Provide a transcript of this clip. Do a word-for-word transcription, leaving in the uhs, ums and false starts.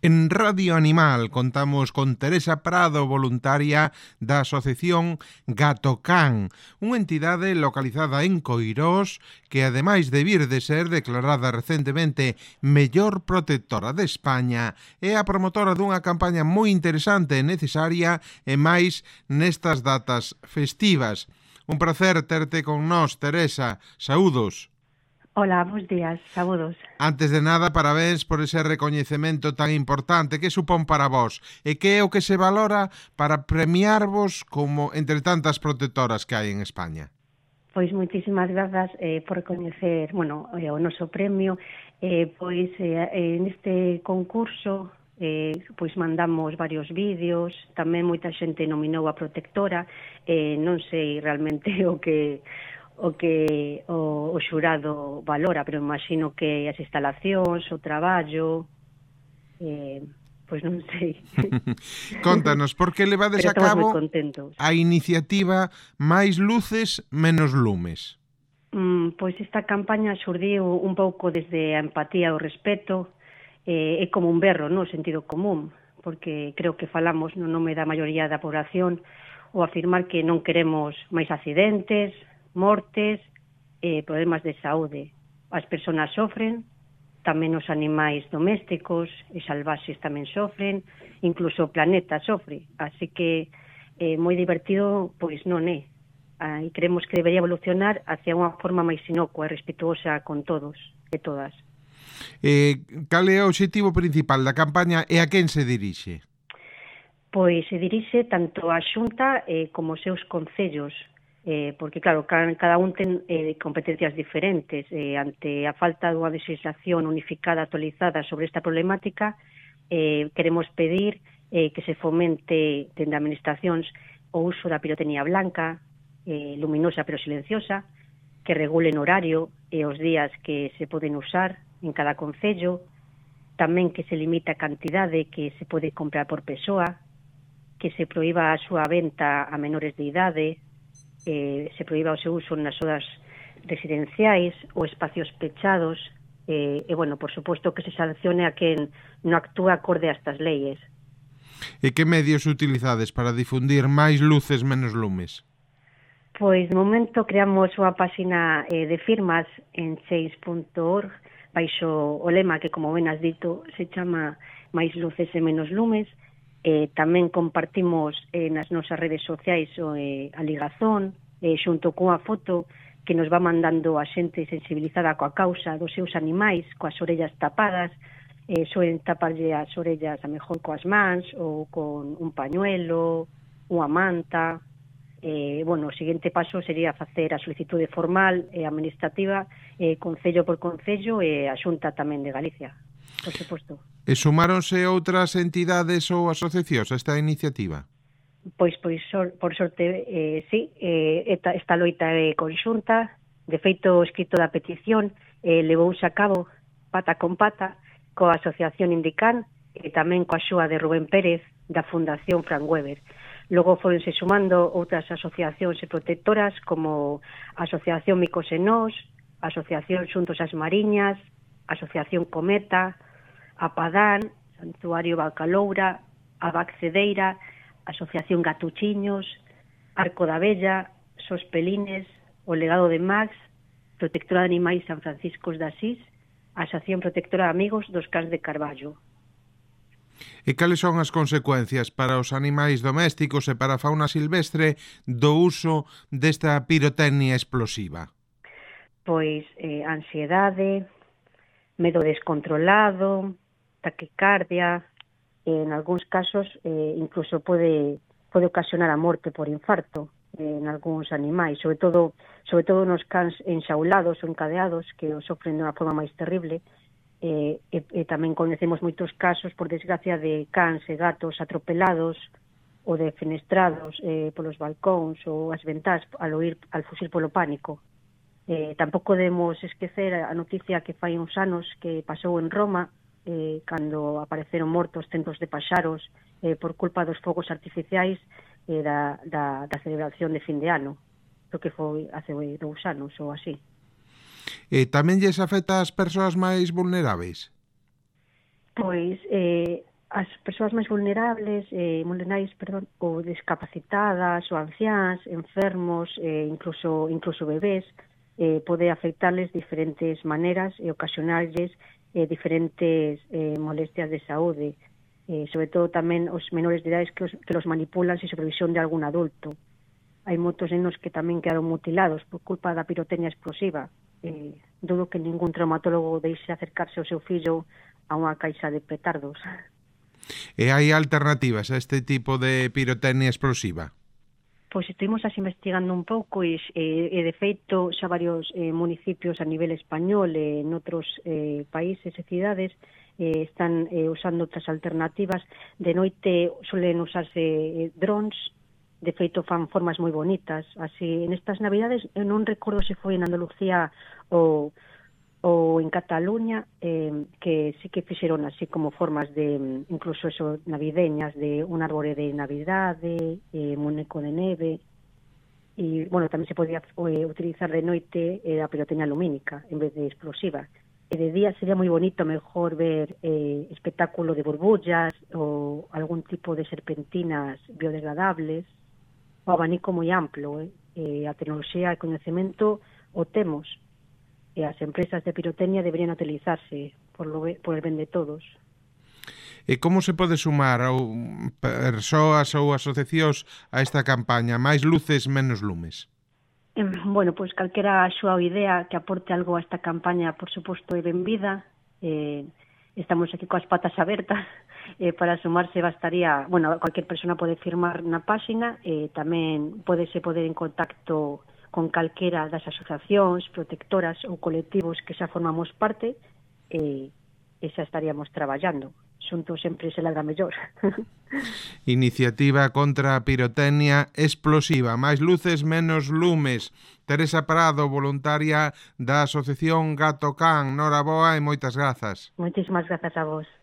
En Radio Animal contamos con Teresa Prado, voluntaria da Asociación Gatocán, unha entidade localizada en Coirós que, ademais de vir de ser declarada recentemente mellor protectora de España, é a promotora dunha campaña moi interesante e necesaria e máis nestas datas festivas. Un placer terte con nós, Teresa. Saúdos. Hola, bons días, saúdos. Antes de nada, parabéns por ese recoñecemento tan importante. Que supón para vos? E que é o que se valora para premiarvos como entre tantas protectoras que hai en España? Pois moitísimas grazas eh, por recoñecer, bueno, eh, o noso premio. Eh, pois eh, neste concurso eh, pois mandamos varios vídeos, tamén moita xente nominou a protectora, eh, non sei realmente o que o que o, o xurado valora, pero imagino que as instalacións, o traballo, eh, pois non sei. Contanos, por que levades a cabo a iniciativa Máis Luces, Menos Lumes? Mm, pois esta campaña xurdiu un pouco desde a empatía e o respeto, eh, é como un berro, no sentido común, porque creo que falamos no nome da maioría da población o afirmar que non queremos máis accidentes, mortes, eh, problemas de saúde. As persoas sofren, tamén os animais domésticos e salvaxes tamén sofren, incluso o planeta sofre. Así que é eh, moi divertido, pois non é. Ah, e creemos que debería evolucionar hacia unha forma máis inocua e respetuosa con todos e todas. Eh, cal é o obxectivo principal da campaña e a quen se dirixe? Pois se dirixe tanto á Xunta eh, como os seus concellos, eh, porque, claro, cada un ten eh, competencias diferentes. Eh, ante a falta dunha legislación unificada, actualizada sobre esta problemática, eh, queremos pedir eh, que se fomente dende administracións o uso da pirotecnia blanca, eh, luminosa pero silenciosa, que regulen horario e os días que se poden usar en cada concello, tamén que se limite a cantidade que se pode comprar por persoa, que se proíba a súa venta a menores de idade, eh, se proíba o seu uso nas zonas residenciais ou espacios pechados, eh, e, bueno, por suposto que se sancione a quen non actúa acorde a estas leyes. E que medios utilizades para difundir Máis Luces, Menos Lumes? Pois, no momento, creamos unha páxina eh, de firmas en change punto org, baixo o lema que, como ben has dito, se chama Máis Luces e Menos Lumes. Eh, tamén compartimos eh, nas nosas redes sociais eh, a ligazón, eh, xunto cunha foto que nos va mandando a xente sensibilizada coa causa dos seus animais, coas orellas tapadas, eh, soen taparlle as orellas a mellor coas mans ou con un pañuelo, unha manta. Eh, bueno, o seguinte paso sería facer a solicitude formal e administrativa eh, concello por concello e a Xunta tamén de Galicia, por suposto. E sumáronse outras entidades ou asociacións a esta iniciativa? Pois, pois por sorte, eh, sí, eh, esta, esta loita é conxunta. De feito, o escrito da petición eh, levouse a cabo pata con pata coa Asociación Indican e tamén coa axuda de Rubén Pérez da Fundación Frank Weber. Logo foronse sumando outras asociacións e protectoras como a Asociación Micos e Nós, a Asociación Xuntos as Mariñas, a Asociación Cometa, a Padán, Santuario Bacaloura, a Baxedeira, a Asociación Gatuchiños, Arco da Bella, Sospelines, o Legado de Max, Protectora de Animais San Francisco de Asís, a Asociación Protectora de Amigos dos Cans de Carballo. E cales son as consecuencias para os animais domésticos e para a fauna silvestre do uso desta pirotecnia explosiva? Pois eh, ansiedade, medo descontrolado, taquicardia, en algúns casos eh, incluso pode, pode ocasionar a morte por infarto eh, en algúns animais, sobre todo sobre todo nos cans enxaulados ou encadeados que o sofren de unha forma máis terrible. Eh, e, e tamén conhecemos moitos casos, por desgracia, de cans e gatos atropelados ou defenestrados eh, polos balcóns ou as ventás al oír, al fuxir polo pánico. Eh, tampouco debemos esquecer a noticia que fai uns anos que pasou en Roma, eh, cando apareceron mortos centos de paxaros eh, por culpa dos fogos artificiais eh, da, da, da celebración de fin de ano, o que foi hace dous anos ou así. E tamén lles afecta ás persoas máis vulneráveis? Pois, eh, as persoas máis vulnerables, eh, vulnerais, perdón, ou discapacitadas, ou anciáns, enfermos, eh, incluso incluso bebés, eh, pode afectarles diferentes maneiras e ocasionarles eh, diferentes eh, molestias de saúde. Eh, sobre todo tamén os menores de idades que os, que los manipulan sin supervisión de algún adulto. Hai moitos nenos que tamén quedaron mutilados por culpa da pirotecnia explosiva. Eh, dudo que ningún traumatólogo deixe acercarse ao seu fillo a unha caixa de petardos. E hai alternativas a este tipo de pirotecnia explosiva? Pois estivemos así investigando un pouco e, e, e de feito xa varios eh, municipios a nivel español e en outros eh, países e cidades eh, están eh, usando outras alternativas. De noite suelen usarse eh, drones, de feito fan formas moi bonitas. Así, en estas navidades, eu non recordo se foi en Andalucía ou ou en Cataluña, eh, que sí que fixeron así como formas de, incluso eso, navideñas, de un árbore de Navidade, eh, muñeco de neve, e, bueno, tamén se podía eh, utilizar de noite eh, a pirotecnia lumínica en vez de explosiva. E de día sería moi bonito mejor ver eh, espectáculo de burbullas ou algún tipo de serpentinas biodegradables, o abanico moi amplo, eh? Eh, a tecnoloxía e o coñecemento o temos, e as empresas de pirotecnia deberían utilizarse por, lo, por el ben de todos. E como se pode sumar a persoas ou asociacións a esta campaña? Máis luces, menos lumes. Eh, bueno, pois calquera axuda ou idea que aporte algo a esta campaña, por suposto, é benvida. Eh, estamos aquí coas patas abertas. Eh, para sumarse bastaría, bueno, cualquier persona pode firmar na páxina, e eh, tamén podese poder en contacto con calquera das asociacións, protectoras ou colectivos que xa formamos parte, e, e xa estaríamos traballando. Xuntos sempre se ladra mellor. Iniciativa contra a pirotecnia explosiva. Máis luces, menos lumes. Teresa Prado, voluntaria da Asociación Gato Can. Noraboa e moitas grazas. Moitísimas grazas a vos.